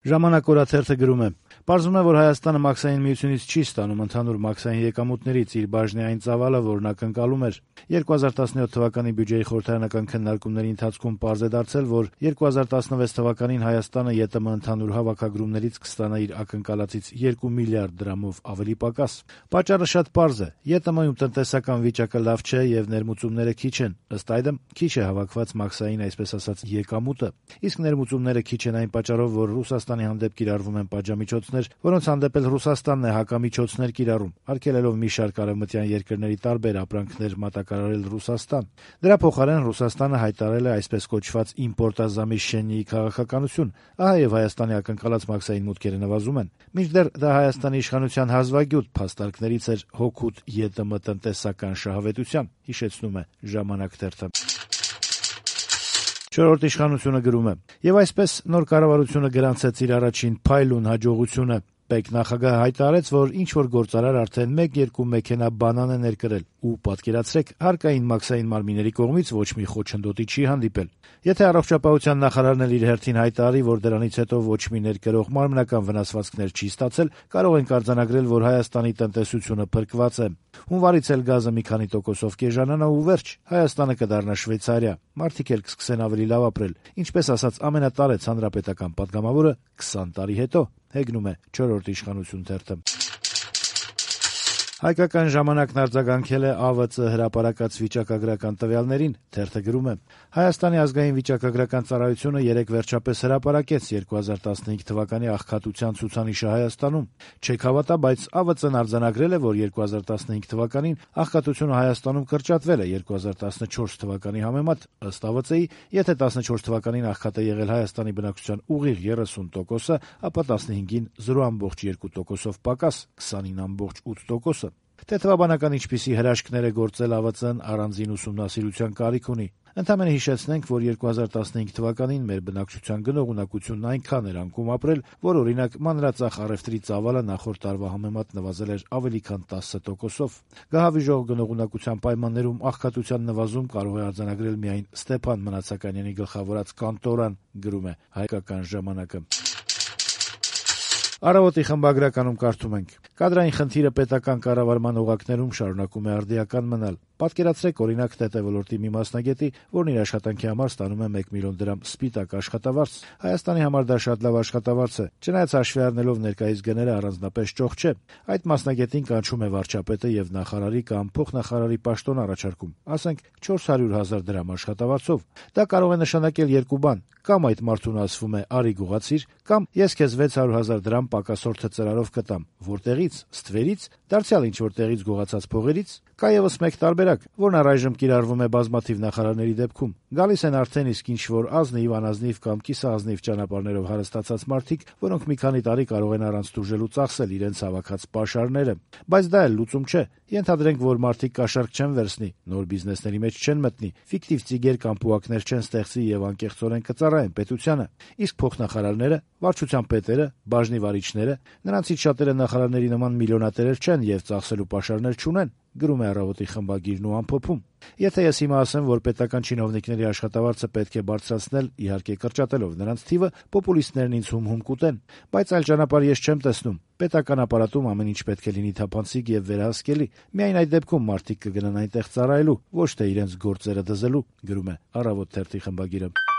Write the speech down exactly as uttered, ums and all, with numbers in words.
Ժամանակ օրաթերթը գրում է. «Պարզվում է, որ Հայաստանը մաքսային միությունից չի ստանում ընդհանուր մաքսային եկամուտներից իր բաժնի այն ծավալը, որն ակնկալում էր։ երկու հազար տասնյոթ թվականի բյուջեի խորհրդարանական քննարկումների ընթացքում պարզ է դարձել, որ երկու հազար տասնվեց թվականին Հայաստանը ԵՏՄ ընդհանուր հավաքագրումներից կստանա իր ակնկալածից երկու միլիարդ դրամով ավելի պակաս։ Պատճառը շատ պարզ է. ԵՏՄ-ում տնտեսական վիճակը լավ չէ եւ ներմուծումները քիչ են, ըստ այդմ քիչ է հավաքված մաքսային, այսպես ասած, եկամուտը, իսկ ներմուծումները քիչ են այն պատճառով, որ Ռուսաստանի հանդեպ կիրառվում են պատժամիջոցներ, որոնց հանդեպ էլ Ռուսաստանն է հակամիջոցներ կիրառում, արգելելով մի շարք արևմտյան երկրների տարբեր ապրանքներ մատակարարել Ռուսաստան։ Դրա փոխարեն Ռուսաստանը հայտարարել է այսպես կոչված իմպորտազամիշենիի քաղաքականություն, ահա եւ Հայաստանի ակնկալած մաքսային մուտքերը նվազում են։ Մինչդեռ դա Հայաստանի իշխանության հազվագյուտ փաստարկներից էր հօգուտ ԵՏՄ տնտեսական շահավետության, հիշեցնում է «Ժամանակ» թերթը»։ Չորրորդ իշխանությունը գրում է. «Եվ այսպես նոր կառավարությունը գրանցեց իր առաջին փայլուն հաջողությունը։ Պետնախագահը հայտարարեց, որ ինչ-որ գործարար արդեն մեկ-երկու մեքենա բանան է ներկրել ու, պատկերացրեք, հարկային մաքսային մարմինների կողմից ոչ մի խոչընդոտի չի հանդիպել։ Եթե առողջապահության նախարարն էլ իր հերթին հայտարարի, որ դրանից հետո ոչ մի ներկրող մարմնական վնասվածքներ չի ստացել, կարող ենք արձանագրել, որ Հայաստանի տնտեսությունը փրկված է։ Հունվարից էլ գազը մի քանի տոկոսով կեժանանա ու վերջ, Հայաստանը կդառնա Շվեյցարիա, մարդիկ էլ կսկսեն ավելի լավ ապրել, ինչպես ասաց ամենատարեց հանրապետական պատգամավորը քսան տարի հետո», հեգնում է «Չորրորդ իշխանություն» թերթը։ Հայկական ժամանակն արձագանքել է ԱՎԾ հրապարակած վիճակագրական տվյալներին, թերթը գրում է. «Հայաստանի ազգային վիճակագրական ծառայությունը երեկ վերջապես հրապարակեց երկու հազար տասնհինգ թվականի աղքատության ցուցանիշը Հայաստանում։ Չեք հավատա, բայց ԱՎԾ-ն արձանագրել է, որ երկու հազար տասնհինգ թվականին աղքատությունը Հայաստանում կրճատվել է երկու հազար տասնչորս թվականի համեմատ։ Ըստ ԱՎԾ-ի, եթե տասնչորս թվականին աղքատ է եղել Հայաստանի բնակչության ուղիղ երեսուն տոկոսը, ապա տասնհինգին զրո բացարձակ երկու տոկոսով պակաս, քսանինը բացարձակ ութ տոկոսը։ Թե թվաբանական ինչպիսի հրաշքներ է գործել ԱՎԾ-ն, առանձին ուսումնասիրության կարիք ունի։ Ընդամենը հիշեցնենք, որ երկու հազար տասնհինգ թվականին մեր բնակչության գնողունակությունն այնքան էր անկում ապրել, որ օրինակ մանրածախ առևտրի ծավալը նախորդ տարվա համեմատ նվազել էր ավելի քան տասը տոկոսով։ Գահավիժող գնողունակության պայմաններում աղքատության նվազում կարող է արձանագրել միայն Ստեփան Մնացականյանի գլխավորած կանտորան, գրում է «Հայկական ժամանակը»։ Առավոտի խմբագրականում կարդում ենք. «Կադրային խնդիրը պետական կառավարման օղակներում շարունակում է արդիական մնալ։ Պատկերացրեք, օրինակ, ՏՏ ոլորտի մի մասնագետի, որն իր աշխատանքի համար ստանում է մեկ միլիոն դրամ սպիտակ աշխատավարձ։ Հայաստանի համար դա շատ լավ աշխատավարձ է, չնայած հաշվի առնելով ներկայիս գները առանձնապես ճոխ չէ։ Այդ մասնագետին կանչում է վարչապետը եւ նախարարի կամ փոխնախարարի պաշտոն առաջարկում, ասենք չորս հարյուր հազար դրամ աշխատավարձով։ Դա կարող է նշանակել երկու բան. կամ այդ մարդուն ասվում է արի գողացիր, կամ ես քեզ վեց հարյուր հազար դրամ պակասորթը ծրարով կտամ։ Որտեղից, Ստվերից, դարձյալ ինչ որ տեղից գողացած փողերից։ Կա եւս մեկ տարբերակ, որն առայժմ կիրառվում է բազմաթիվ նախարարների դեպքում։ Գալիս են արդեն իսկ ինչ որ ազնիվ, անազնիվ կամ կիսաազնիվ ճանապարհներով հարստացած մարդիկ, որոնք մի քանի տարի կարող են առանց տուժելու ծախսել իրենց հավաքած պաշարները։ Բայց դա էլ լուծում չէ։ Ենթադրենք, որ մարդիկ կաշառք չեն վերցնի, նոր բիզնեսների մեջ չեն մտնի, ֆիկտիվ ծիգեր կամ պուակներ չեն ստեղծի եւ անկեղծորեն կծառայեն պետությանը։ Իսկ փոխնախարարները, վարչության պետերը, բաժնի վարիչները, նրանցից շատերը նախարարների նման միլիոնատերեր չեն եւ ծախսելու պաշարներ չունեն», գրում է «Առավոտի» խմբագիրն ու ամփոփում։ Եթե ես հիմա ասեմ, որ պետական չինովնիկների աշխատավարձը պետք է բարձրացնել, իհարկե կրճատելով նրանց թիվը, պոպուլիստներն ինձ հում-հում կուտեն, բայց այլ ճանապարհ ես չեմ տեսնում։ Պետական ապարատում ամեն ինչ պետք է լինի թափանցիկ եւ վերահսկելի։ Միայն այդ դեպքում մարդիկ կգնան այնտեղ ծառայելու, ոչ թե իրենց գործերը դզելու, գրում է «Առավոտ» թերթի խմբագիրը։